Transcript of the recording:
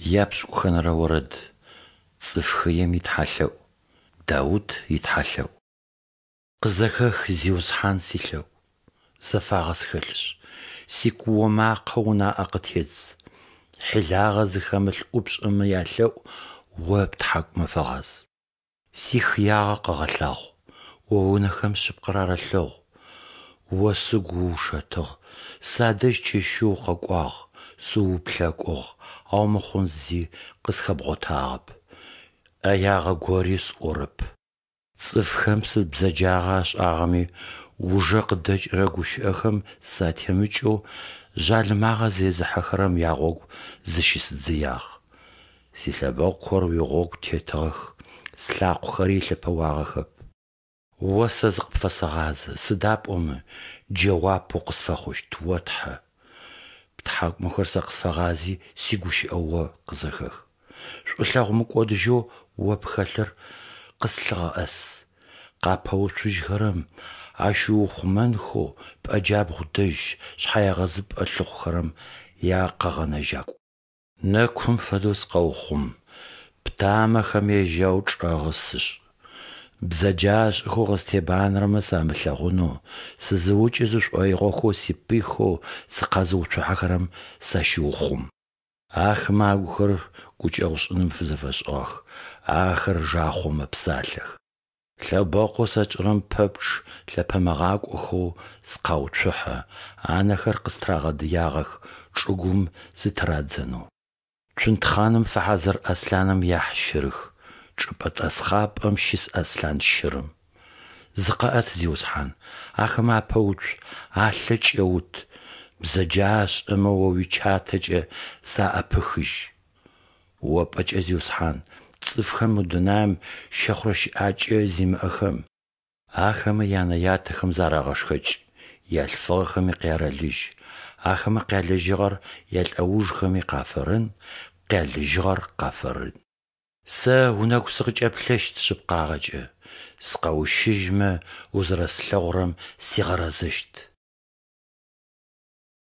Япшӏыкӏухэнэрэ орэд. Цӏыф хыем итхьалъэӏу. Даут итхьалъэӏу. Къызэхэх, Зиусхьан, силъэӏу, зэфагъэ схэлъышъ, сикуо макъэ унаӏэ къытедз. Хьилагъэ зыхэмылъ ӏупшӏэмэ ялъэӏу О птхьакӏумэ фэгъаз. Сихыягъэ къэгъэлъагъу, О унэхэм шъыпкъэр арэлъэгъу. О сыгу уушэтыгъ, садэжь чэщи укъэкӏуагъ, сыууплъэкӏугъ, ау мыхъун зи къысхэбгъотагъэп, ӏэягъэ гори сӏорэп. Цӏыфхэм сыд бзэджагъэ ашӏагъэми, ужэ къыдэкӏырэ гущыӏэхэм сатемыкӏэу жъалымагъэ зезыхьэхэрэм ягъогу зыщысыдзыягъ. Силъэбэкъухэр уигъогу тетыгъэх, слъакъохэри елъэпэуагъэхэп. О сэ зыкъыпфэсэгъазэ, сыда пӏомэ джэуап укъысфэхъущт, о Тхьэ. Птхьакӏумэхэр сэ къысфэгъази, сигущыӏэ О къызэхэх. Шӏулъэгъу мыкӏодыжьэу О пхэлъыр къыслъыгъэӏэс. Къапэуцужьхэрэм ащыуухъумэнхэу пӏэ джабгъу дэжь шъхьэегъэзыпӏэ лъыхъухэрэм якъэгъэнэжьакӏу. Нэкум фэдэу сыкъэухъум, птамэхэм яжьау чӏэгъы сышӏ. Бзэджашӏэхэу къыстебанэрэмэ самылъэгъунэу, сызыукӏы зышӏоигъохэу сипыйхэу сыкъэзыуцухьэхэрэм сащыухъум. Ахэмэ агухэр гукӏэгъушӏыным фызэфэшӏыгъэх, ахэр жахъоу мэпсалъэх. Лъэбэкъоу сэ сшӏырэм пэпчъ лъэпэмыгъакӏохэу сыкъауцухьэ, анэхэр къыстырагъэдыягъэх чӏыгум сытырадзэнэу. Цунтхъэным фэхьазыр аслъаным яхьщырых, чӏыпӏэ тӏэсхъапӏэм щыс аслъан щырым. Зыкъэӏэт, Зиусхьан, ахэмэ апэуцу, алъэ кӏэут, бзэджашӏэмэ О уичатэкӏэ заӏэпыхыжь. О пӏэкӏэ, Зиусхьан, цӏыфхэм мы дунаим щэхъурэ щыӏакӏэ зимыӏэхэм, ахэмэ янэ-ятэхэм зарагъэшхэкӏ, ялъфыгъэхэми къярэлыжь, ахэмэ къялыжьыгъэр ялӏэужхэми къафэрэн, къялыжьыгъэр къафэрэн. Сэ унэгу сыкъыкӏэплъэщт шъыпкъагъэкӏэ, сыкъэущыжьмэ, узэрэслъэгъурэм сигъэрэзэщт.